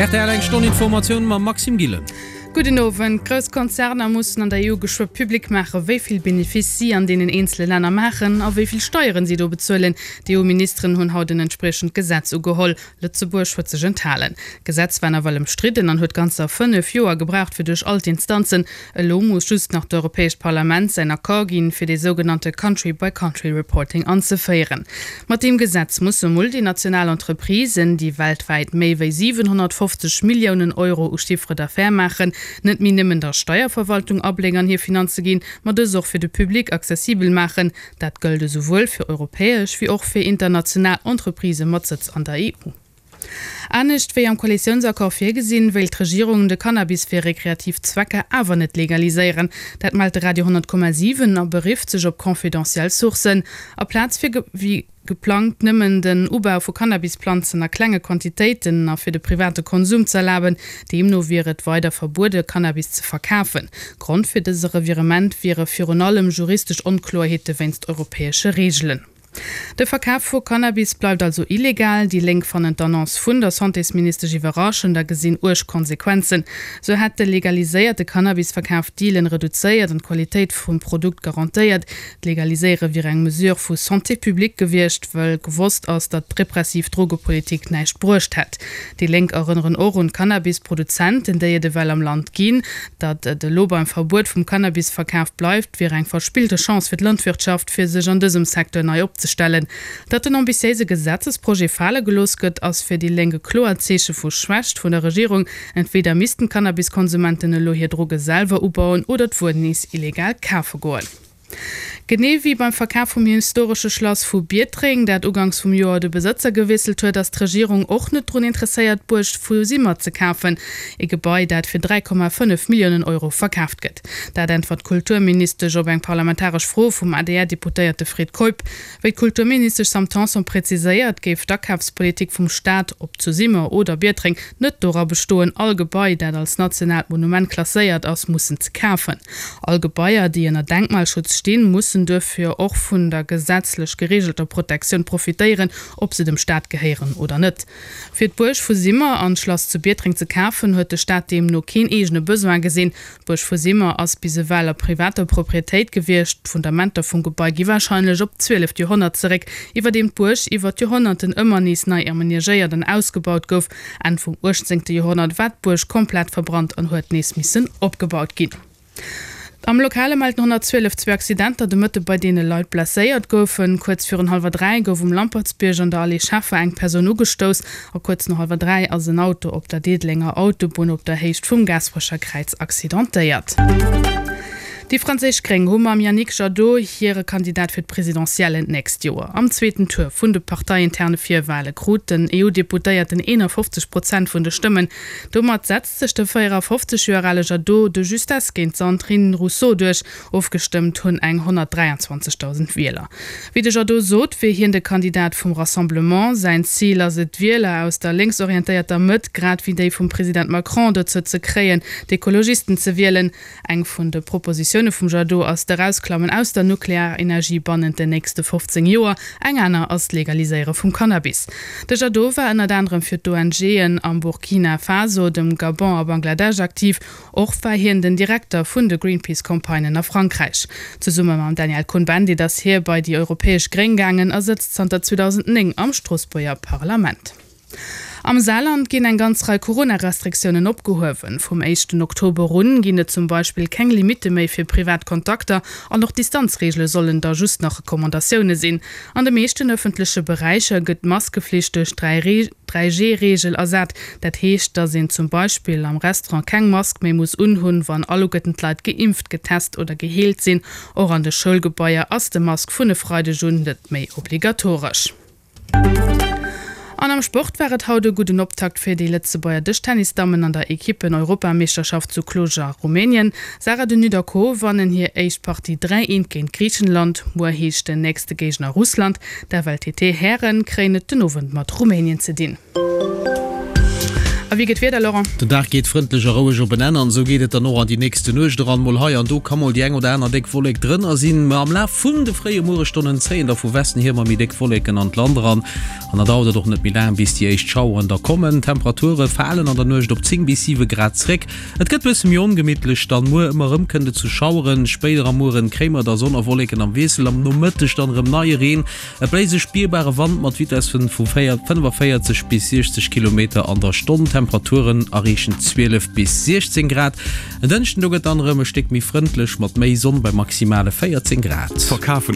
Rtl eng Stonn Informatioun mam Maxime Gillen. Gudden Owend. Grouss Konzerner mussen an der EU geschwë public maache wéi vill Benefice si an deenen eenzele Länner maachen a wéi vill Steieren si do bezuelen. D'EU-Ministeren hunn haut en entspriechend Gesetz ugeholl. Lëtzebuerg huet sech enthalen. D'Gesetz war nawell ëmstridden an huet ganzer 5 Joer gebraucht fir duerch all d'Instanzen. Elo muss just nach d'Europäescht Parlament säin Accord ginn, fir dee sougenannte Country-by-Country-Reporting anzeféieren. Mat deem Gesetz musse multinational Entreprisen, déi weltwäit méi wéi 750 Milliounen Euro u Chiffre d'affaires maachen, net méi nëmmen der Steierverwaltung Abléck an hir Finanze ginn, ma dës och fir de Public accessibel maachen. Dat gëllt esouwuel fir europäesch wéi och fir international Entreprisë mat Sëtz an der EU. Anescht wéi am Koalitiounsaccord virgesinn, wéilt d'Regierung de Cannabis fir rekreativ Zwecker awer net legaliséieren. Dat mellt de Radio 10,7 a berifft sech op confidentiel Sourcen. Aplaz fir wéi geplangt nëmmen den Ubau vu Cannabisplanzen a klenge Quantitéiten a fir de private Konsum z'erlaben, deemno wier et weider verbuede Cannabis ze verkafen. Grond fir dëse Revirement wiere virun allem juristesch Onkloerheete wéinst europäesche Reegelen. De Verkaf vu Cannabis bleift also illegal. Déi Lénk fannen d'Annonce vun der Santésministesch iwwerraschend a gesinn uerg Konsequenzen. Sou hätt de legaliséierte Cannabisverkaf d'Dealen reduzéiert an d'Qualitéit vum Produkt garantéiert. D'Legaliséiere wier eng Mesure vu Santé publique gewiescht, wëll gewosst ass, datt d'repressiv Drogepolitik näischt bruecht hätt. Déi Lénk erënneren och un d'Cannabisproduzenten, déi et ewell am Land ginn. Datt et elo beim Verbuet vum Cannabisverkaf bleift, wier eng verspillte Chance fir d'Landwirtschaft, fir sech an dësem Secteur nei opzestellen. Datt den ambitiéise Gesetzesprojet fale gelooss gëtt, ass fir déi Lénk e kloert Zeeche vu Schwächt vun der Regierung. Entweder missten d'Cannabiskonsumenten elo hir Droge selwer ubauen oder d'Wuer nees illegal kafe goen. Genee wéi beim Verkaf vum historesche Schlass vu Biertreng, dat uganks vum Joer de Besëtzer gewiesselt huet, ass d'Regierung och net drun interesséiert, d'Buerg vu Simmer ze kafen. E Gebai, dat fir 3,5 Milliounen Euro verkaaft gëtt. Dat äntwert d'Kulturministesch op eng parlamentaresch Fro vum ADR-Deputéierte Fred Keup. Wéi d'Kulturministesch Sam Tanson präziséiert, géif d'Akafspolitik vum Staat, ob zu Simmer oder Biertreng, net dora bestoen, all Gebai, dat als nationaalt Monument klasséiert ass, mussen ze kafen. All Gebaier, déi ënner Denkmalschutz stinn, mussen duerfir och vun der gesetzlech gereegelter Protektioun profitéieren, ob se dem Staat gehéieren oder net. Fir d'Buerg vu Simmer an d'Schlass zu Biertreng ze kafen, huet de Staat deemno keen eegene Besoin gesinn. D'Buerg vu Simmer ass bis ewell a privater Proprietéit gewiescht. D'Fundamenter vum Gebai gi warscheinlech op d'zwieleft Joerhonnert zeréck, iwwerdeem d'Buerg iwwer d'Joerhonnerten ëmmer nees nei amenagéiert an ausgebaut gouf. Enn vum 18. Joerhonnert war d'Buerg komplett verbrannt an huet nees missen opgebaut ginn. Am Lokale mellten 112 zwee Accidenter de Mëtte bei deene Leit blesséiert goufen. Kuerz virun hallwer 3 gouf um Lampertsbierg an der Allée Scheffer eng Persoun ugestouss a kuerz no hallwer 3 ass en Auto op der Diddelenger Autobunn op der Héicht vum Gaasperecher Kräiz accidentéiert. Déi franséisch Gréng hu mam Yannick Jadot hire Kandidat fir d'Presidentiellen d'nächst Joer. Am zweeten Tour vun de parteiinterne Virwale krut den EU-Deputéierten 51 Prozent vun de Stëmmen. Domat setzt sech de 54 Joer ale Jadot de justesse géint d'Sandrine Rousseau duerch. Ofgestëmmt hunn eng 123.000 Wieler. Wéi de Jadot sot, wier hien de Kandidat vum Rassemblement. Säin Zil ass et, d'Wieler aus der lénksorientéierter Mëtt, grad wéi déi vum President Macron, dozou ze kréien, d'Ekologisten ze wielen. Eng vun de Propositioune vum Jadot ass d'Erausklammen aus der Nuklearenergie bannent den nächste 15 Joer, eng aner ass d'Legaliséiere vum Cannabis. De Jadot war ënnert anerem fir d'ONGen am Burkina Faso, dem Gabon a Bangladesch aktiv. Och war hien den Direkter vun de Greenpeace-Campagnen a Frankräich. Zesumme mam Daniel Cohn-Bendit ass hie bei déi europäesch Gréng gaangen a sëtzt zanter 2009 am Stroossbuerger Parlament. Am Saarland ginn eng ganz Rei Corona-Restriktiounen opgehuewen. Vum éischten Oktober un ginn et zum Beispill keng Limitte méi fir privat Kontakter an och d'Distanzreegele sollen da just nach Recommandatioune sinn. An de meeschten ëffentleche Beräicher gëtt d'Maskeflicht duerch d'Dräi-G-Reegel ersat. Dat heescht, datt een zum Beispill am Restaurant keng Mask méi muss unhunn, wann alleguerten d'Leit geimpft, getest oder geheelt sinn. Och an de Schoulgebaier ass de Mask vun e Freideg un net méi obligatoresch. An am Sport war et haut e gudden Optakt fir déi Lëtzebuerger Dëschtennisdammen an der Ekippen-Europameeschterschaft zu Cluj a Rumänien. Sarah De Nutte a Co wannen hir éischt Partie 3, 1 géint Griichenland. Muer heescht den nächste Géigner Russland. D'FLTT-Hären kréien et den Owend mat Rumänien ze dinn. A wéi gëtt d'Wieder, Laurent? Den Dag geet frëndlech a roueg op en Enn an esou geet et dann och an déi nächste Nuecht eran. Mol hei an do ka mol déi eng oder aner déck Wollek drënner sinn, ma am Laf vun de fréie Mueresstonnen zéien da vu Westen hier ëmmer méi déck Wolleken an d'Land eran. An da dauert et och net méi laang, bis déi éischt Schaueren da kommen. D'Temperature falen an der Nuecht op 10 bis 7 Grad zréck. Et gëtt bësse méi ongemittlech dann muer. Ëmmer erëm kënnt et zu Schaueren. Spéider am Mueren kréie mer da Sonn a Wolleken am Wiessel. Am Nomëtteg dann erëm neie Reen. Et bléist e spierbare Wand mat Vitessen vu 45 bis 60 Kilometer an der Stonn. D'Temperaturen erreechen 12 bis 16 Grad. En Dënschden do gëtt dann erëm e Stéck méi frëndlech mat méi Sonn bei maximale 14 Grad. Verkafen.